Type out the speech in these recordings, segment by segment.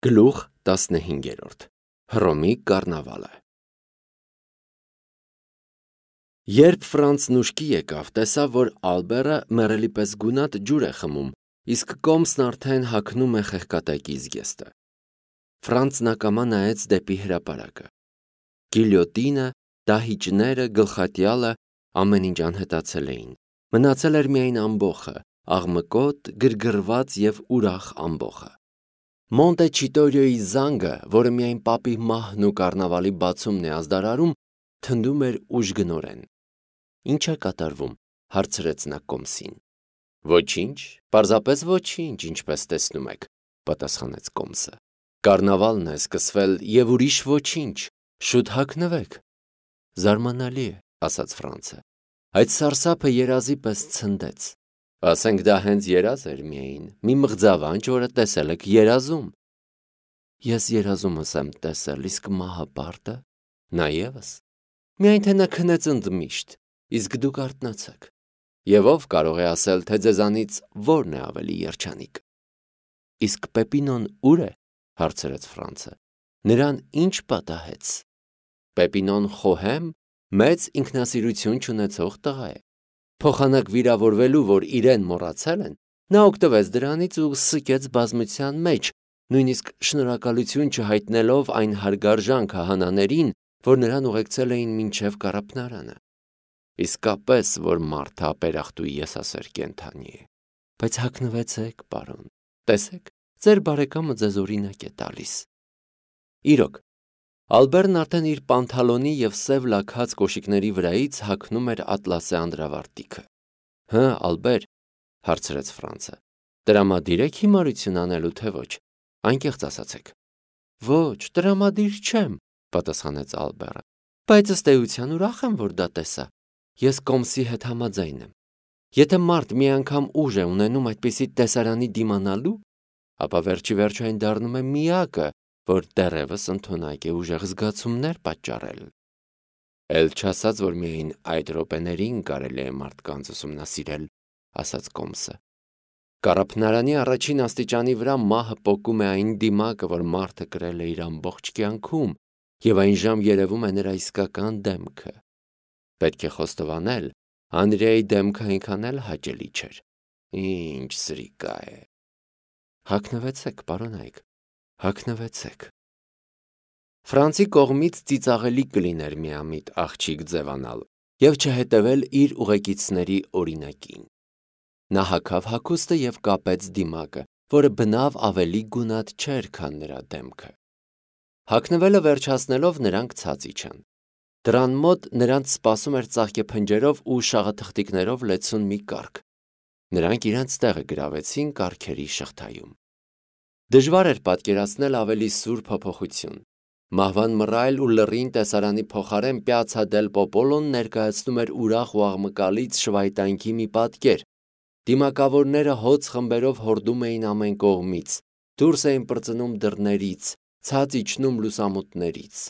Գլուխ 15 Հռոմի կառնավալը Երբ Ֆրանցն ուշքի եկավ, տեսավ, որ Ալբերը մեռելի պես գունատ ջուր է խմում, իսկ կոմսն արդեն հագնում է խեղկատակի զգեստը։ Ֆրանցն ակամա նայեց դեպի հրապարակը։ Գիլյոտինը, դահիճները, գլխատյալը ամեն ինչ անհետացել էին։ Մնացել էր միայն ամբոխը, աղմկոտ, գրգռված և ուրախ ամբոխը։ Մոնտե Չիտորիոյի զանգը, որը միայն պապի մահն ու կառնավալի բացումն է ազդարարում, թնդում էր ուժգնորեն։ Ինչ է կատարվում, հարցրեց նա կոմսին։ Ոչինչ, պարզապես ոչինչ, ինչպես տեսնում եք, պատասխանեց կոմսը։ Կառնավալն է սկսվել և ուրիշ ոչինչ, շուտ հագնվեք։ Զարմանալի է, ասաց Ֆրանցը։ Այդ սարսափը երազի պես ցնդեց։ Ասենք դա հենց երազ էր միայն, մի մղձավանջ, որը տեսել եք երազում։ Ես երազումս եմ տեսել, իսկ մահը պարտը, նա ևս։ Միայն թե նա քնեց ընդմիշտ, իսկ դուք արթնացաք։ Եվ ով կարող է ասել, թե ձեզանից որն է ավելի երջանիկ։ Իսկ Պեպինոն ուր է, հարցրեց Ֆրանցը։ Նրան ինչ պատահեց։ Պեպինոն խոհեմ, մեծ ինքնասիրություն չունեցող տղա է։ Փոխանակ վիրավորվելու, որ իրեն մոռացել են, նա օգտվեց դրանից ու սկեց բազմության մեջ, նույնիսկ շնորհակալություն չհայտնելով այն հարգարժան քահանաներին, որ նրան ուղեկցել էին մինչև կառափնարանը։ Իսկապես, որ մարդը ապերախտու եսասեր կենդանի է։ Բայց հագնվեցեք, պարոն, տեսեք, ձեր բարեկամը ձեզ օրինակ է տալիս։ Իրոք, Ալբերն արդեն իր պանթալոնի և սև լաքած կոշիկների վրայից հագնում էր ատլասե անդրավարտիքը։ Հը, Ալբեր, հարցրեց Ֆրանցը, տրամադիր եք հիմարություն անելու, թե ոչ, անկեղծ ասացեք։ Ոչ, տրամադիր չեմ, պատասխանեց Ալբերը, բայց ըստ էության ուրախ եմ, որ դա տեսա։ Ես կոմսի հետ համաձայն եմ։ Եթե մարդ մի անգամ ուժ է ունենում այդպիսի տեսարանի դիմանալու, ապա վերջիվերջո այն դառնում է միակը, որ դեռևս ընդունակ է ուժեղ զգացումներ պատճառել։ Էլ չասած, որ միայն այդ րոպեներին կարելի է մարդկանց ուսումնասիրել, ասաց կոմսը։ Կառափնարանի առաջին աստիճանի վրա մահը պոկում է այն դիմակը, որ մարդը կրել է իր ամբողջ կյանքում, և այն ժամ երևում է նրա իսկական դեմքը։ Պետք է խոստովանել, Անրիայի դեմքը այնքան էլ հաճելի չէր։ Ինչ սրիկա է։ Հագնվեցեք, պարոնայք, հագնվեցեք։ Ֆրանցի կողմից ծիծաղելի կլիներ միամիտ աղջիկ ձևանալ և չհետևել իր ուղեկիցների օրինակին։ Նա հագավ հագուստը և կապեց դիմակը, որը բնավ ավելի գունատ չէր, քան նրա դեմքը։ Հագնվելը վերջացնելով նրանք ցած իջան։ Դռան մոտ նրանց սպասում էր ծաղկեփնջերով ու շաղաթղթիկներով լեցուն մի կառք։ Նրանք իրենց տեղը գրավեցին կառքերի շղթայում։ Դժվար էր պատկերացնել ավելի սուր փոփոխություն։ Մահվան մռայլ ու լռին տեսարանի փոխարեն Պյացցա դել Պոպոլոն ներկայացնում էր ուրախ ու աղմկալից շվայտանքի մի պատկեր։ Դիմակավորները հոծ խմբերով հորդում էին ամեն կողմից, դուրս էին պրծնում դռներից, ցած իջնում լուսամուտներից։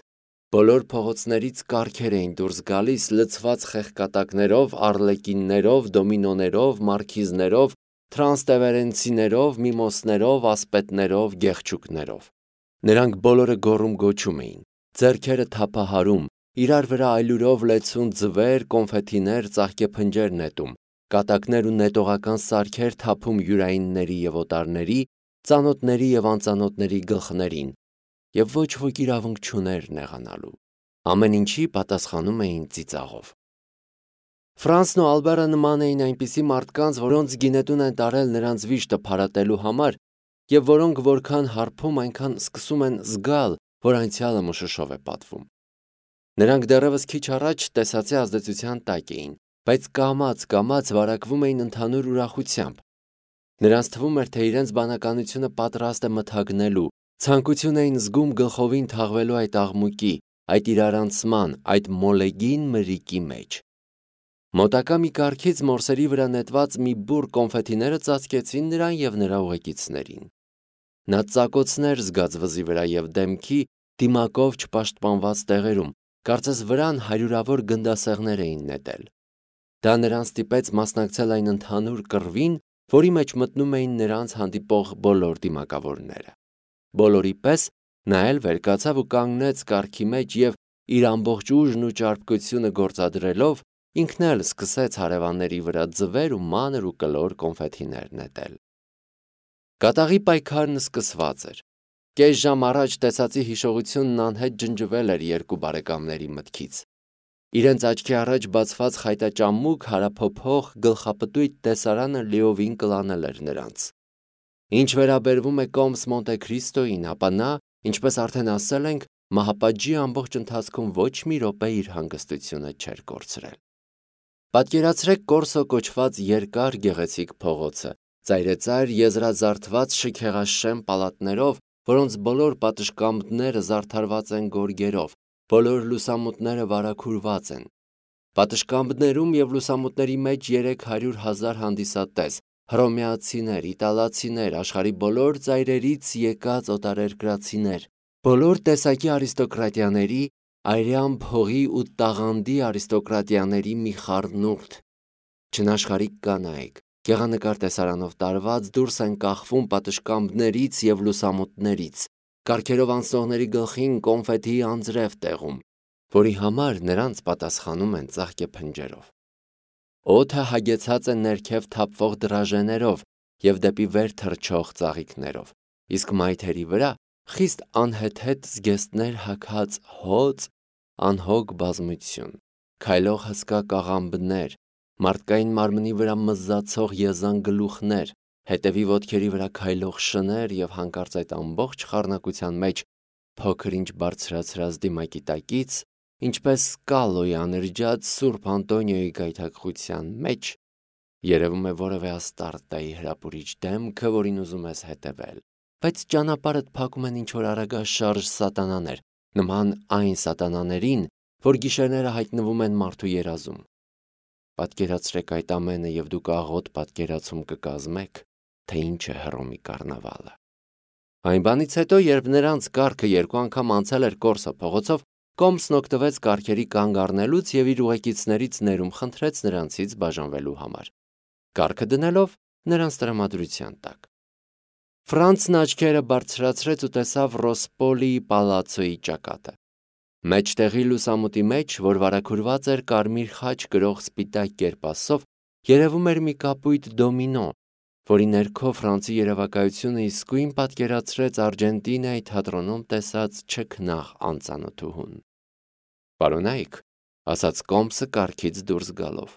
Բոլոր փողոցներից կառքեր էին դուրս գալիս լցված խեղկատակներով, արլեկիններով, դոմինոներով, մարքիզներով, տրանստևերենցիներով, միմոսներով, ասպետներով, գեղչուկներով։ Նրանք բոլորը գոռում-գոչում էին, ձեռքերը թափահարում, իրար վրա այլուրով լեցուն ձվեր, կոնֆետիներ, ծաղկեփնջեր նետում, կատակներ ու նետողական սարքեր թափում յուրայինների և օտարների, ծանոթների և անծանոթների գլխներին, և ոչ ոք իրավունք չուներ նեղանալու։ Ամեն ինչի պատասխանում էին ծիծաղով։ Ֆրանցն ու Ալբերը նման էին այնպիսի մարդկանց, որոնց գինետուն են տարել նրանց վիշտը փարատելու համար, և որոնք որքան հարբում, այնքան սկսում են զգալ, որ անցյալը մշուշով է պատվում։ Նրանք դեռևս քիչ առաջ տեսածի ազդեցության տակ էին, բայց կամաց վարակվում էին ընդհանուր ուրախությամբ։ Նրանց թվում էր, թե իրենց բանականությունը պատրաստ է մթագնելու, ցանկություն էին զգում գլխովին թաղվելու այդ աղմուկի, այդ իրարանցման, այդ մոլեգին մրրիկի մեջ։ Մոտակա մի կառքից մորսերի վրա նետված մի բուռ կոնֆետիները ծածկեցին նրան և նրա ուղեկիցներին։ Նա ծակոցներ զգաց վզի վրա և դեմքի, դիմակով չպաշտպանված տեղերում, կարծես վրան հարյուրավոր գնդասեղներ էին նետել։ Դա նրան ստիպեց մասնակցել այն ընդհանուր կռվին, որի մեջ մտնում էին նրանց հանդիպող բոլոր դիմակավորները։ Բոլորի պես նա էլ վերկացավ ու կանգնեց կառքի մեջ և իր ամբողջ ուժն ու ճարպկությունը գործադրելով ինքն էլ սկսեց հարևանների վրա ձվեր ու մանր ու կլոր կոնֆետիներ նետել։ Կատաղի պայքարն սկսված էր։ Կես ժամ առաջ տեսածի հիշողությունն անհետ ջնջվել էր երկու բարեկամների մտքից։ Իրենց աչքի առաջ բացված խայտաճամուկ, հարափոփող, գլխապտույտ տեսարանը լիովին կլանել էր նրանց։ Ինչ վերաբերվում է կոմս Մոնտե Քրիստոյին, ապա նա, ինչպես արդեն ասել ենք, մահապատժի ամբողջ ընթացքում ոչ մի րոպե իր հանգստությունը չէր կորցրել։ Պատկերացրեք Կորսո կոչված երկար գեղեցիկ փողոցը, ծայրեծայր եզրազարդված շքեղաշեմ պալատներով, որոնց բոլոր պատշգամբները զարդարված են գորգերով, բոլոր լուսամուտները վարագուրված են։ Պատշգամբներում և լուսամուտների մեջ 300,000 հանդիսատես, հռոմեացիներ, իտալացիներ, աշխարհի բոլոր ծայրերից եկած օտարերկրացիներ, բոլոր տեսակի արիստոկրատիաների, այրյան փողի ու տաղանդի արիստոկրատիաների մի խառնուրդ, չնաշխարհիկ կանայք, գեղանկար տեսարանով տարված դուրս են կախվում պատշգամբներից և լուսամուտներից, կառքերով անցնողների գլխին կոնֆետի անձրև տեղում, որի համար նրանց պատասխանում են ծաղկե փնջերով։ Օդը հագեցած է ներքև թափվող դրաժեներով և դեպի վեր թռչող ծաղիկներով, իսկ մայթերի վրա խիստ անհեթեթ զգեստներ հագած հոծ, անհոգ բազմություն, քայլող հսկա կաղամբներ, մարդկային մարմնի վրա մզզացող եզան գլուխներ, հետևի ոտքերի վրա քայլող շներ և հանկարծ այդ ամբողջ խառնակության մեջ փոքր-ինչ բարձրացրած դիմակի տակից, ինչպես Սկալոյի անրջած Սուրբ Անտոնիոյի գայթակղության մեջ, երևում է որևէ Աստարտայի հրապուրիչ դեմքը, որին ուզում ես հետևել, բայց ճանապարհդ փակում են ինչ-որ արագաշարժ սատանաներ, նման այն սատանաներին, որ գիշերները հայտնվում են մարդու երազում։ Պատկերացրեք այդ ամենը և դուք աղոտ պատկերացում կկազմեք, թե ինչ է Հռոմի կառնավալը։ Այն բանից հետո, երբ նրանց կառքը երկու անգամ անցել էր Կորսո փողոցով, Կոմսն օգտվեց կառքերի կանգ առնելուց և իր ուղեկիցներից ներում խնդրեց նրանցից բաժանվելու համար, կառքը դնելով նրանց տրամադրության տակ։ Ֆրանցն աչքերը բարձրացրեց ու տեսավ Ռոսպոլիի պալացոյի ճակատը։ Մեջտեղի լուսամուտի մեջ, որ վարագուրված էր կարմիր խաչ կրող սպիտակ կերպասով, երևում էր մի կապույտ դոմինո, որի ներքո Ֆրանսի երևակայությունը իսկույն պատկերացրեց Արգենտինայի թատրոնում տեսած չքնաղ անծանոթուհուն։ «Պարոնայք», ասաց Կոմսը կառքից դուրս գալով,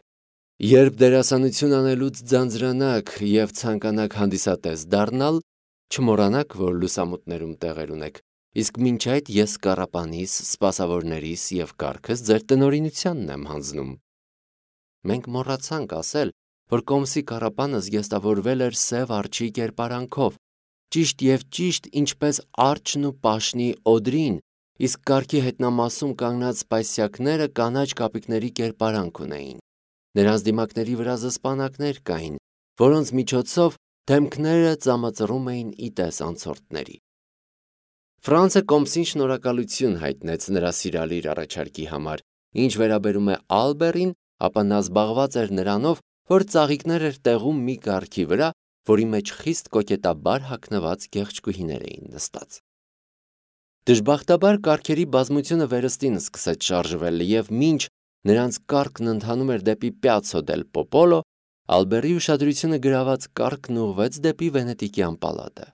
«երբ դերասանություն անելուց ձանձրանաք և ցանկանաք հանդիսատես դառնալ, չմոռանաք, որ լուսամուտներում տեղեր ունեք, իսկ մինչ այդ ես կառապանիս, սպասավորներիս և կառքս ձեր տնօրինությանն եմ հանձնում»։ Մենք մոռացանք ասել, որ Կոմսի կառապանը զգեստավորվել էր սև արջի կերպարանքով, ճիշտ և ճիշտ ինչպես արջն ու պաշնի Օդրին, իսկ կառքի հետնամասում կանգնած սպայսյակները կանաչ կապիկների կերպարանք ունեին։ Նրանց դիմակների վրա զսպանակներ կային, որոնց միջոցով դեմքները ծամածռում էին ի տես անցորդների։ Ֆրանսը Կոմսին շնորհակալություն հայտնեց նրա սիրալիր առաջարկի համար, ինչ վերաբերում է Ալբերին, ապա նա զբաղված էր նրանով, որ ծաղիկներ էր տեղում մի կառքի վրա, որի մեջ խիստ կոկետաբար հագնված գեղեցկուհիներ էին նստած։ Դժբախտաբար կառքերի բազմությունը վերստին սկսեց շարժվել և մինչ նրանց կառքն ընթանում էր դեպի Պյացցո դել Պոպոլո, Ալբերի ուշադրությունը գրաված կառքն ուղղվեց դեպի Վենետիկյան պալատը։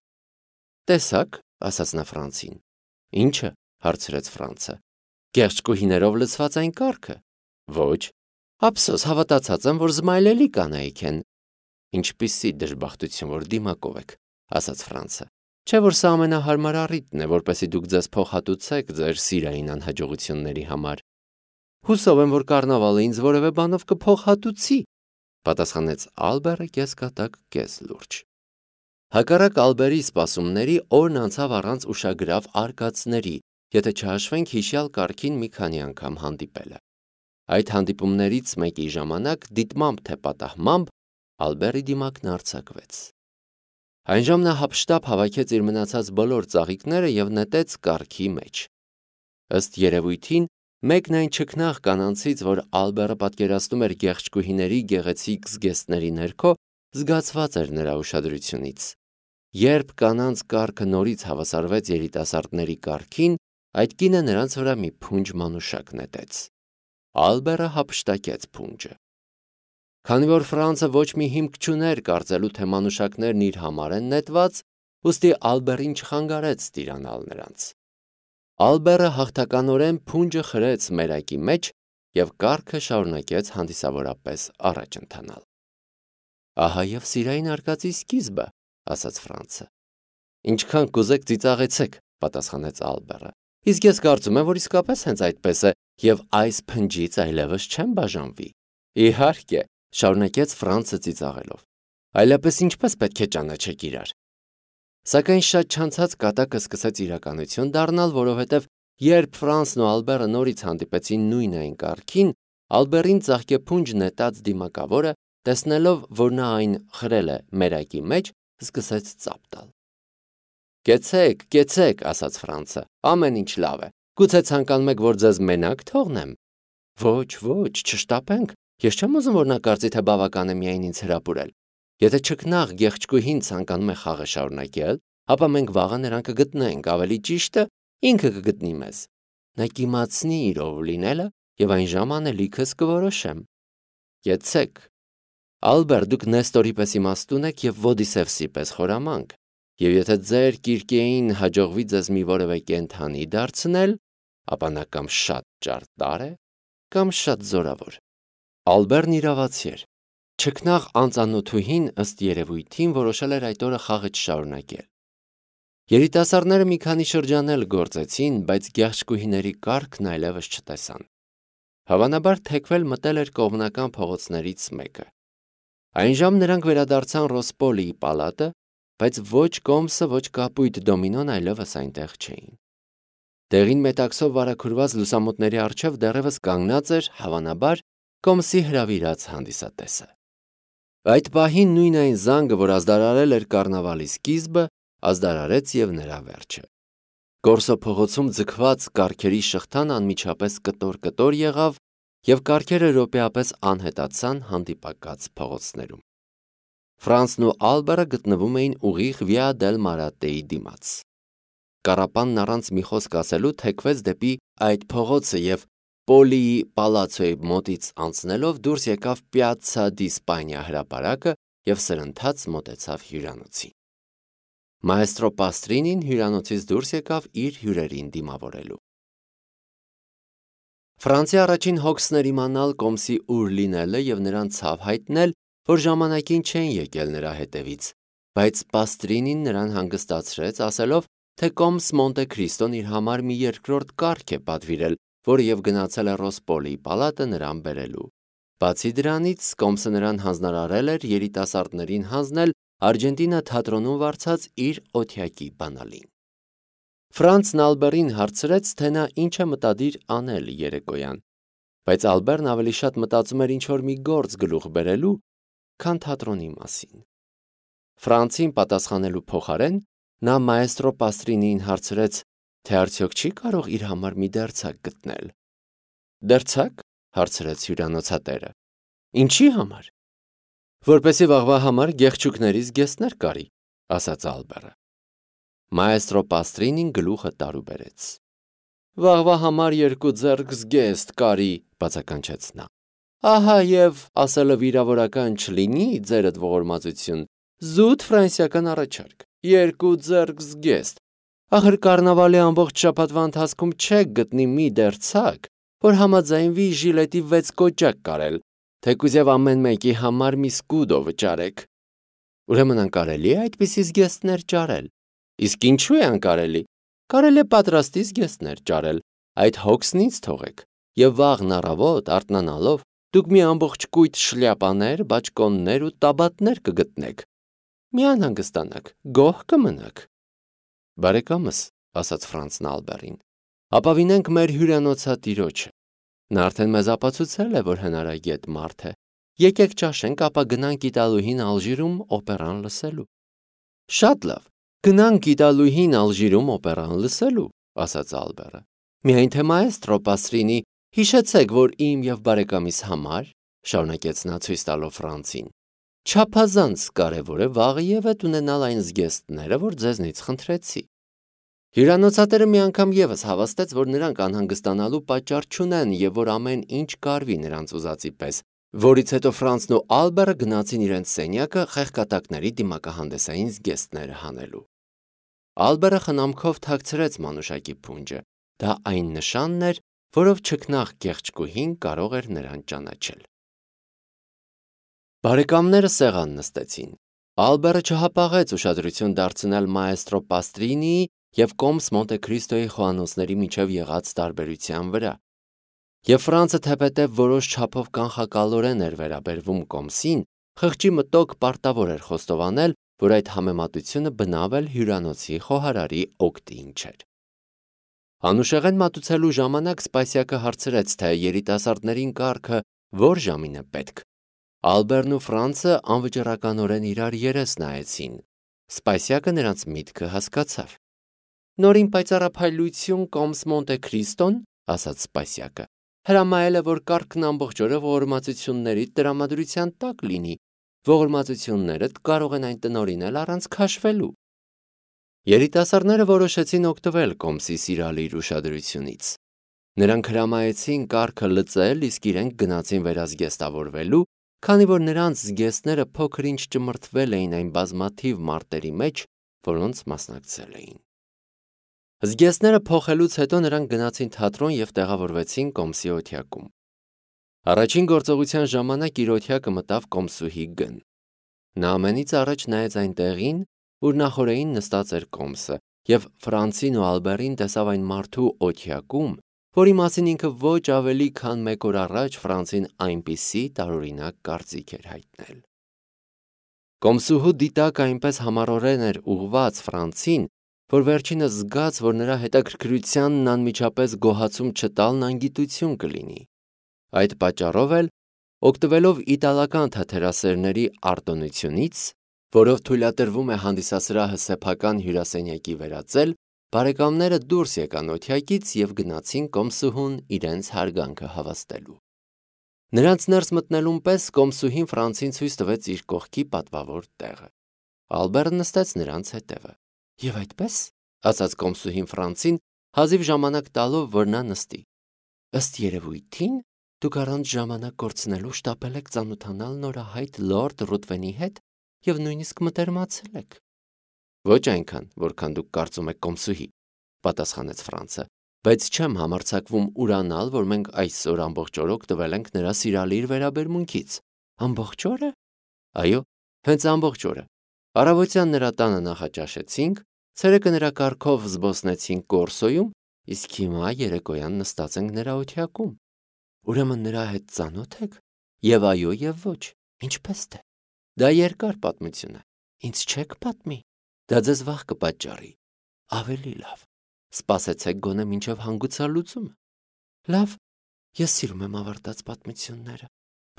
«Տեսա՞ք», ասաց նա Ֆրանսին։ «Ի՞նչը», հարցրեց Ֆրանսը։ «Գեղեցկուհիներով լցված այն կառքը»։ «Ոչ»։ «Ափսոս, հավատացած եմ, որ զմայլելի կանայք են»։ «Ինչպիսի դժբախտություն, որ դիմակով եք», ասաց Ֆրանսը։ «Չէ՞ որ սա ամենահարմար առիթն է, որպեսզի դուք ձեզ փոխհատուցեք ձեր սիրային անհաջողությունների համար»։ «Հուսով եմ, որ կառնավալը ինձ որևէ բանով կփոխհատուցի», պատասխանեց Ալբերը կեսկատակ, կես լուրջ։ Հակառակ Ալբերի սպասումների օրն անցավ առանց ուշագրավ արկածների, եթե չհաշվենք հիշյալ կառքին մի քանի անգամ հանդիպելը։ Այդ հանդիպումներից մեկի ժամանակ դիտմամբ թե պատահմամբ Ալբերի դիմակն արձակվեց։ Այնժամ նա հափշտապ հավաքեց իր մնացած բոլոր ծաղիկները և նետեց կառքի մեջ։ Ըստ երևույթին, մեկն այն չքնաղ կանանցից, որ Ալբերը պատկերացնում էր գեղեցկուհիների գեղեցիկ զգեստների ներքո, զգացված էր նրա ուշադրությունից։ Երբ կանանց կարգը նորից հավասարվեց երիտասարդների կարգին, այդ կինը նրանց վրա մի փունջ մանուշակ նետեց։ Ալբերը հափշտակեց փունջը։ Քանի որ Ֆրանսը ոչ մի հիմք չուներ կարծելու, թե մանուշակներն իր համար են նետված, ուստի Ալբերին չխանգարեց տիրանալ նրանց։ Ալբերը հաղթականորեն փունջը խրեց մերակի մեջ և կարգը շարունակեց հանդիսավորապես առաջ ընթանալ։ Ահա և սիրային արկածի սկիզբը, ասաց Ֆրանսը։ Ինչքան կուզեք ծիծաղեցեք, պատասխանեց Ալբերը։ Իսկ ես կարծում եմ, որ իսկապես հենց այդպես է, և այս փնջից այլևս չեմ բաժանվի։ Իհարկե, շարունակեց Ֆրանսը ծիծաղելով։ Այլապես ինչպես պետք է ճանաչեք իրար։ Սակայն շատ չանցած կատակը սկսեց իրականություն դառնալ, որովհետև երբ Ֆրանսն ու Ալբերը նորից հանդիպեցին նույն այն կարգին, Ալբերին ծաղկեփունջ նետած դիմակավորը, տեսնելով, որ նա այն խրել է մերակի մեջ, սկսեց ծափ տալ։ Կեցեք, ասաց Ֆրանսը, ամեն ինչ լավ է։ Գուցե ցանկանում եք, որ ձեզ մենակ թողնեմ։ Ոչ, չշտապենք։ Ես չեմ ուզում, որ նա կարծի, թե բավական է միայն ինձ հրապուրել։ Եթե չքնաղ գեղեցկուհին ցանկանում է խաղը շարունակել, ապա մենք վաղը նրան կգտնենք, ավելի ճիշտը ինքը կգտնի մեզ։ Նա կիմացնի իր ով լինելը և այն ժամանակ լիքս կորոշեմ։ Կեցեք։ Ալբեր, դուք Նեստորի պես իմաստուն եք և Ոդիսևսի պես խորամանկ, և եթե ձեր Կիրկեին հաջողվի ձեզ մի որևէ կենդանի դարձնել, ապա նա կամ շատ ճարտար է, կամ շատ զորավոր։ Ալբերն իրավացի էր։ Չքնաղ անծանոթուհին ըստ երևույթին որոշել էր այդ օրը խաղը չշարունակել։ Երիտասարդները մի քանի շրջանել գործեցին, բայց գեղեցկուհիների կարգն այլևս չտեսան։ Հավանաբար թեքվել մտել էր կողմնական փողոցներից մեկը։ Այնժամ նրանք վերադարձան Ռոսպոլիի պալատը, բայց ոչ կոմսը, ոչ կապույտ դոմինոն այլևս այնտեղ չէին։ Տեղին մետաքսով վարագուրված լուսամուտների առջև դեռևս կանգնած էր, հավանաբար, կոմսի հրավիրած հանդիսատեսը։ Այդ պահին նույն այն զանգը, որ ազդարարել էր կառնավալի սկիզբը, ազդարարեց և նրա վերջը։ Կորսո փողոցում ձգված կառքերի շղթան անմիջապես կտոր եղավ, և կառքերը րոպեապես անհետացան հանդիպակաց փողոցներում։ Ֆրանսն ու Ալբերը գտնվում էին ուղիղ Վիա դել Մարատեի դիմաց։ Կառապանն առանց մի խոսք ասելու թեքվեց դեպի այդ փողոցը և Պոլիի պալացոյի մոտից անցնելով դուրս եկավ Պիացցա դի Սպանիա հրապարակը և սրընթաց մոտեցավ հյուրանոցին։ Մաեստրո Պաստրինին հյուրանոցից դուրս եկավ իր հյուրերին դիմավորելու։ Ֆրանսի առաջին հոգսն էր իմանալ կոմսի ուր լինելը և նրան ցավ հայտնել, որ ժամանակին չեն եկել նրա հետևից, բայց Պաստրինին նրան հանգստացրեց, ասելով, թե կոմս Մոնտե Քրիստոն իր համար մի երկրորդ կառք է պատվիրել, որը և գնացել է Ռոսպոլիի պալատը նրան բերելու։ Բացի դրանից, կոմսը նրան հանձնարարել էր երիտասարդներին հանձնել Արգենտինա թատրոնում վարձած իր օթյակի բանալին։ Ֆրանսն Ալբերին հարցրեց, թե նա ինչ է մտադիր անել երեկոյան, բայց Ալբերն ավելի շատ մտածում էր ինչ-որ մի գործ գլուխ բերելու, քան թատրոնի մասին։ Ֆրանսին պատասխանելու փոխարեն նա մաեստրո Պաստրինին հարցրեց, թե արդյոք չի կարող իր համար մի դերձակ գտնել։ Դերձակ, հարցրեց հյուրանոցատերը։ Ինչի համար։ Որպեսզի վաղվա համար գեղչուկների զգեստներ կարի, ասաց Ալբերը։ Մաեստրո Պաստրինին գլուխը տարուբերեց։ Վաղվա համար 2 ձեռք զգեստ կարի, բացականչեց նա։ Ահա և ասելը վիրավորական չլինի ձերդ ողորմածություն, զուտ ֆրանսիական առաջարկ, 2 ձեռք զգեստ։ Ախր կառնավալի ամբողջ շաբաթվա ընթացքում չեք գտնի մի դերձակ, որ համաձայնվի ժիլետի 6 կոճակ կարել, թեկուզև ամեն մեկի համար մի սկուդո վճարեք։ Ուրեմն անկարելի է այդպիսի զգեստներ ճարել։ Իսկ ինչու է անկարելի։ Կարելի է պատրաստի զգեստներ ճարել, այդ հոգսն ինձ թողեք, և վաղն առավոտ արթնանալով դուք մի ամբողջ կույտ շլյապաներ, բաճկոններ ու տաբատներ կգտնեք։ Մի անհանգստանաք, գոհ կմնաք։ Բարեկամս, ասաց Ֆրանսն Ալբերին, ապավինենք մեր հյուրանոցատիրոջը։ Նա արդեն մեզ ապացուցել է, որ հնարագետ մարդ է։ Եկեք ճաշենք, ապա գնանք Իտալուհին Ալժիրում օպերան լսելու։ Շատ լավ, գնանք Իտալուհին Ալժիրում օպերան լսելու, ասաց Ալբերը։ Միայն թե մաեստրո Պաստրինի, հիշեցեք, որ իմ և բարեկամիս համար, շարունակեց նա ցույց տալով Ֆրանսին, Չափազանց կարևոր է վաղը ևեթ ունենալ այն զգեստները, որ ձեզնից խնդրեցի։ Հյուրանոցատերը մի անգամ ևս հավաստեց, որ նրանք անհանգստանալու պատճառ չունեն եւ որ ամեն ինչ կարվի նրանց ուզածի պես, որից հետո Ֆրանցն ու Ալբերը գնացին իրենց սենյակը խեղկատակների դիմակահանդեսային զգեստները հանելու։ Ալբերը խնամքով թաքցրեց մանուշակի փունջը։ Դա այն նշանն էր, որով չքնաղ կեղճկուհին կարող էր նրան ճանաչել։ Բարեկամները սեղան նստեցին։ Ալբերը չհապաղեց ուշադրություն դարձնել մաեստրո Պաստրինիի և կոմս Մոնտե Քրիստոյի խոհանոցների միջև եղած տարբերության վրա։ Եվ Ֆրանցը թեպետև որոշ չափով կանխակալորեն էր վերաբերվում կոմսին, խղճի մտոք պարտավոր էր խոստովանել, որ այդ համեմատությունը բնավ էլ հյուրանոցի խոհարարի օգտին չէր։ Անուշեղեն մատուցելու ժամանակ Սպասյակը հարցրեց, թե երիտասարդներին կարգը որ ժամին է պետք։ Ալբերն ու Ֆրանցը անվճռականորեն իրար երես նայեցին։ Սպասյակը նրանց միտքը հասկացավ։ Նորին պայծառափայլություն կոմս Մոնտե Քրիստոն, ասաց Սպասյակը, հրամայել է, որ կարգն ամբողջ օրը ողորմածությունների տրամադրության տակ լինի։ Ողորմածություններդ կարող են այն տնօրինել առանց քաշվելու։ Երիտասարդները որոշեցին օգտվել կոմսի սիրալիր ուշադրությունից։ Նրանք հրամայեցին կարգը լծել, իսկ իրենք գնացին վերազգեստավորվելու, քանի որ նրանց զգեստները փոքր-ինչ ճմրթվել էին այն բազմաթիվ մարտերի մեջ, որոնց մասնակցել էին։ Զգեստները փոխելուց հետո նրանք գնացին թատրոն և տեղավորվեցին կոմսի օթյակում։ Առաջին գործողության ժամանակ իր օթյակը մտավ կոմսուհի Գ-ն։ Նա ամենից առաջ նայեց այն տեղին, ուր նախօրեին նստած էր կոմսը, և Ֆրանցին ու Ալբերին տեսավ այն մարդու օթյակում, որի մասին ինքը ոչ ավելի քան մեկ օր առաջ Ֆրանցին այնպիսի տարօրինակ կարծիք էր հայտնել։ Կոմսուհու դիտակը այնպես համառորեն էր ուղղված Ֆրանցին, որ վերջինս զգաց, որ նրա հետաքրքրությանն անմիջապես գոհացում չտալն անգիտություն կլինի։ Այդ պատճառով էլ, օգտվելով իտալական թատերասերների արտոնությունից, որով թույլատրվում է հանդիսասրահը սեփական հյուրասենյակի վերածել, բարեկամները դուրս եկան օթյակից և գնացին կոմսուհուն իրենց հարգանքը հավաստելու։ Նրանց ներս մտնելուն պես կոմսուհին Ֆրանցին ցույց տվեց իր կողքի պատվավոր տեղը։ Ալբերը նստեց նրանց հետևը։ Եվ այդպես, ասաց կոմսուհին Ֆրանցին, հազիվ ժամանակ տալով, որ նա նստի։ Ըստ երևույթին, դուք առանց ժամանակ կորցնելու շտապել եք ծանոթանալ նորահայտ լորդ Ռուտվենի հետ և նույնիսկ մտերմացել եք։ Ոչ այնքան, որքան դուք կարծում եք, կոմսուհի, պատասխանեց Ֆրանցը, բայց չեմ համարձակվում ուրանալ, որ մենք այսօր ամբողջ օր օգտվել ենք նրա սիրալիր վերաբերմունքից։ Ամբողջ օրը։ Այո, հենց ամբողջ օրը։ Առավոտյան նրա տանը նախաճաշեցինք, ցերեկը նրա կարգով զբոսնեցինք Կորսոյում, իսկ հիմա երեկոյան նստած ենք նրա օթյակում։ Ուրեմն նրա հետ ծանոթ եք։ Եվ այո, եւ ոչ։ Ինչպես թե։ Դա երկար պատմություն է։ Ինձ չեք պատմի։ Դա ձեզ վախ կպատճառի։ Ավելի լավ։ Սպասեցեք գոնե մինչև հանգուցալուծումը։ Լավ, ես սիրում եմ ավարտած պատմությունները,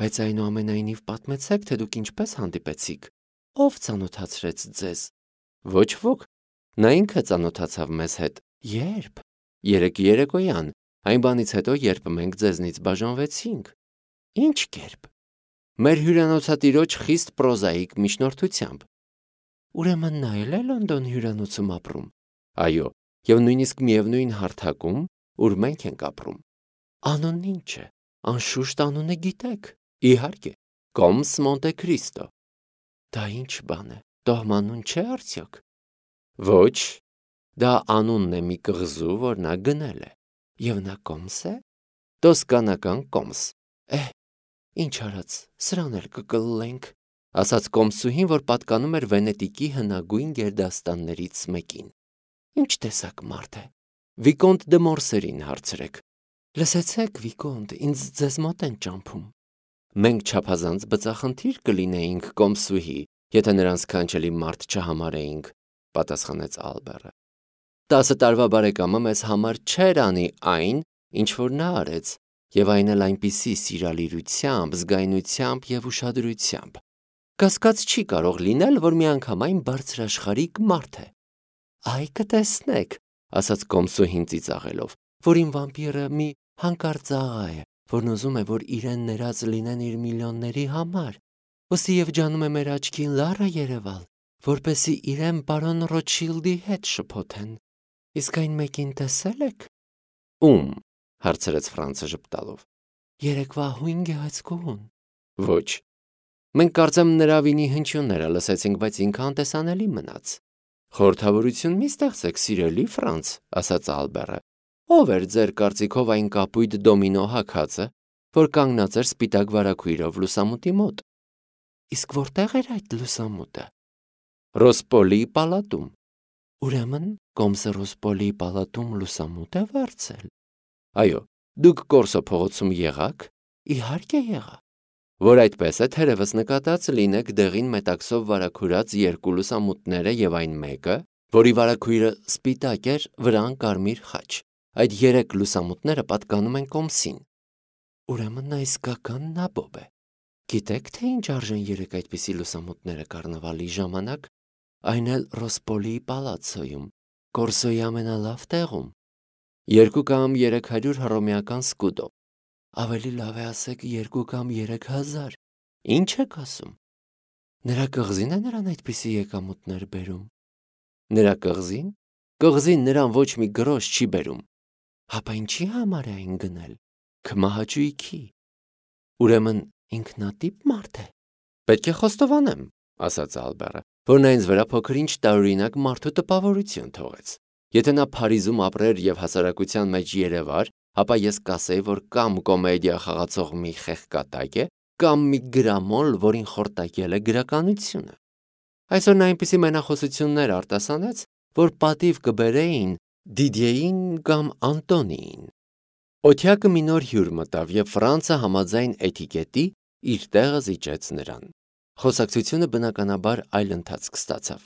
բայց այնուամենայնիվ պատմեցեք, թե դուք ինչպես հանդիպեցիք։ Ով ծանոթացրեց ձեզ։ Ոչ ոք։ Նա ինքը ծանոթացավ մեզ հետ։ Երբ։ Երեկ երեկոյան, այն բանից հետո, երբ մենք ձեզնից բաժանվեցինք։ Ինչ կերպ։ Մեր հյուրանոցատիրոջ խիստ պրոզաիկ միջնորդությամբ։ Ուրեմն նա էլ է Լոնդոն հյուրանոցում ապրում։ Այո, եւ նույնիսկ միևնույն հարթակում, ուր մենք ենք ապրում։ Անունն ինչ է։ Անշուշտ անունը գիտեք։ Իհարկե, կոմս Մոնտե Քրիստո։ Դա ինչ բան է։ Տոհմանուն չէ արդյոք։ Ոչ, դա անունն է մի կղզու, որ նա գնել է։ Եվ նա կոմս է։ Տոսկանական կոմս։ Ինչ արած, սրան էլ կկլլենք, ասաց կոմսուհին, որ պատկանում էր Վենետիկի հնագույն գերդաստաններից մեկին։ Ինչ տեսակ մարդ է։ Վիկոնտ դե Մորսերին հարցրեք։ Լսեցեք, Վիկոնտ, ինձ ձեզ մոտ են ճամփում։ Մենք չափազանց բծախնդիր կլինեինք, կոմսուհի, եթե նրանց կանչելի մարդ չհամարեինք, պատասխանեց Ալբերը։ 10 տարվա բարեկամը մեզ համար չէր անի այն, ինչ որ նա արեց, եւ այն էլ այնպիսի սիրալիրությամբ, զգայնությամբ եւ ուշադրությամբ։ Կասկած չի կարող լինել, որ միանգամայն բարձրաշխարհիկ մարդ է։ Այ կտեսնեք, ասաց կոմսուհին ծիծաղելով, որ իմ վամպիրը մի հանկարծ աղա է, որն ուզում է, որ իրեն ներած լինեն իր միլիոնների համար։ Ոստի եւ ջանում է մեր աչքին լարը երևալ, որպեսի իրեն պարոն Ռոթշիլդի հետ շփոթեն։ Իսկ այն մեկին տեսել եք։ Ում, հարցրեց Ֆրանցը ժպտալով։ Երեկվա հույն գեղեցկուհուն։ Ոչ։ Մենք կարծեմ նրա վինի հնչյունները լսեցինք, բայց ինքը անտեսանելի մնաց։ Խորհրդավորություն մի ստեղծեք, սիրելի Ֆրանց, ասաց Ալբերը։ Ով էր ձեր կարծիքով այն կապույտ դոմինո հագածը, որ կանգնած էր սպիտակ վարագույրով լուսամուտի մոտ։ Իսկ որտեղ էր այդ լուսամուտը։ Ռոսպոլի պալատում։ Ուրեմն Կոմսը Ռոսպոլի պալատում լուսամուտ է վարձել։ Այո, դուք Կորսո փողոցում եղաք։ Իհարկե եղա։ Որ այդպես է, թերևս նկատած լինեք դեղին մետաքսով վարագուրած երկու լուսամուտները եւ այն մեկը, որի վարագույրը սպիտակ էր, վրան կարմիր խաչ։ Այդ երեք լուսամուտները պատկանում են Կոմսին։ Ուրեմն նա իսկական նաբոբ է։ Գիտեք, թե ինչ արժեն երեք այդպիսի լուսամուտները կառնավալի ժամանակ, այն էլ Ռոսպոլի պալացոյում, Կորսոյի ամենալավ տեղում։ 2 կամ 300 հռոմեական սկուդո։ Ավելի լավ է ասեք 2 կամ 3000։ Ինչ եք ասում։ Նրա կղզին է նրան այդպիսի եկամուտներ բերում։ Նրա կղզին։ Կղզին նրան ոչ մի գրոշ չի բերում։ Հապա ինչի համար է այն գնել։ Քմահաճույքի։ Ուրեմն ինքնատիպ մարդ է։ Պետք է խոստովանեմ, ասաց Ալբերը, որ նա ինձ վրա փոքր-ինչ տարօրինակ մարդու տպավորություն թողեց։ Եթե նա Փարիզում ապրեր եւ հասարակության մեջ երևար, ապա ես կասեի, որ կամ կոմեդիա խաղացող մի խեղկատակ է, կամ մի գրամոլ, որին խորտակել է գրականությունը։ Այսօր նա այնպիսի մենախոսություններ արտասանեց, որ պատիվ կբերեին Դիդիեին կամ Անտոնիին։ Օթյակը մի նոր հյուր մտավ եւ Ֆրանցը համաձայն էտիկետի իր տեղը զիջեց նրան։ Խոսակցությունը բնականաբար այլ ընթացք ստացավ։